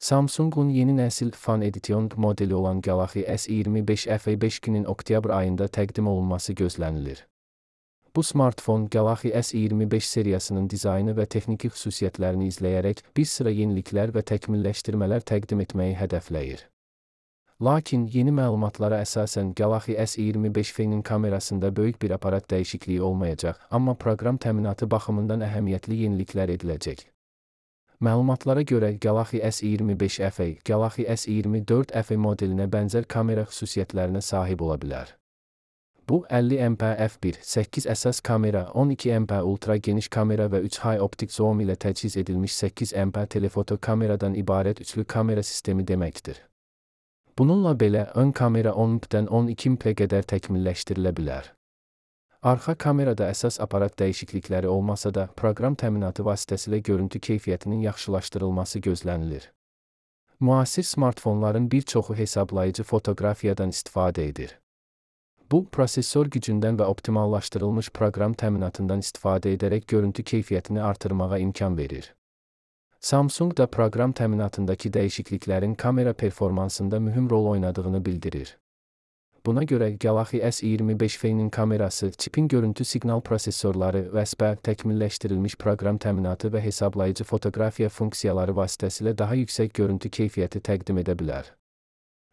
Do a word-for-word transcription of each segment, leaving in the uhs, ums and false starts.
Samsung'un yeni nəsil Fan Edition modeli olan Galaxy S iyirmi beş F beş-nin oktyabr ayında təqdim olunması gözlənilir. Bu smartfon Galaxy S iyirmi beş seriyasının dizaynı və texniki xüsusiyyətlərini izləyərək bir sıra yeniliklər və təkmilləşdirmələr təqdim etməyi hədəfləyir. Lakin yeni məlumatlara əsasən Galaxy S iyirmi beş F-nin kamerasında böyük bir aparat dəyişikliyi olmayacaq, amma proqram təminatı baxımından əhəmiyyətli yeniliklər ediləcək. Məlumatlara görə Galaxy S iyirmi beş F Galaxy S iyirmi dörd F modelinə bənzər kamera xüsusiyyətlərinə sahib ola bilər. Bu, əlli megapiksellik f bir nöqtə səkkiz əsas kamera, on iki megapiksellik ultra geniş kamera və üç high optik zoom ilə təchiz edilmiş səkkiz megapiksellik telefoto kameradan ibarət üçlü kamera sistemi deməkdir. Bununla belə, ön kamera on megapikseldən on iki megapikselə qədər təkmilləşdirilə bilər. Arxa kamerada əsas aparat dəyişiklikləri olmasa da, proqram təminatı vasitəsilə görüntü keyfiyyətinin yaxşılaşdırılması gözlənilir. Müasir smartfonların bir çoxu hesablayıcı fotoqrafiyadan istifadə edir. Bu, prosesor gücündən və optimallaşdırılmış proqram təminatından istifadə edərək görüntü keyfiyyətini artırmağa imkan verir. Samsung da proqram təminatındakı dəyişikliklərin kamera performansında mühüm rol oynadığını bildirir. Buna görə Galaxy S iyirmi beş F-nin kamerası, çipin görüntü siqnal prosesorları və S P təkmilləşdirilmiş proqram təminatı və hesablayıcı fotoqrafiya funksiyaları vasitəsilə daha yüksək görüntü keyfiyyəti təqdim edə bilər.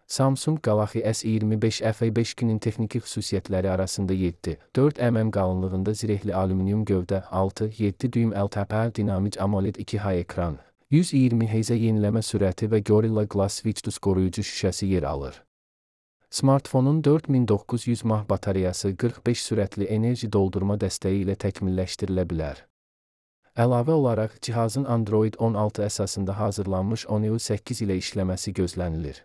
Samsung Galaxy S iyirmi beş F beş-nin texniki xüsusiyyətləri arasında yeddi nöqtə dörd millimetr qalınlığında zirehli alüminium gövdə, altı nöqtə yeddi düym L T P dinamik AMOLED iki H ekran, yüz iyirmi hertz yeniləmə sürəti və Gorilla Glass Victus qoruyucu şüşəsi yer alır. Smartfonun dörd min doqquz yüz mAh batareyası qırx beş sürətli enerji doldurma dəstəyi ilə təkmilləşdirilə bilər. Əlavə olaraq, cihazın Android on altı əsasında hazırlanmış One U səkkiz ilə işləməsi gözlənilir.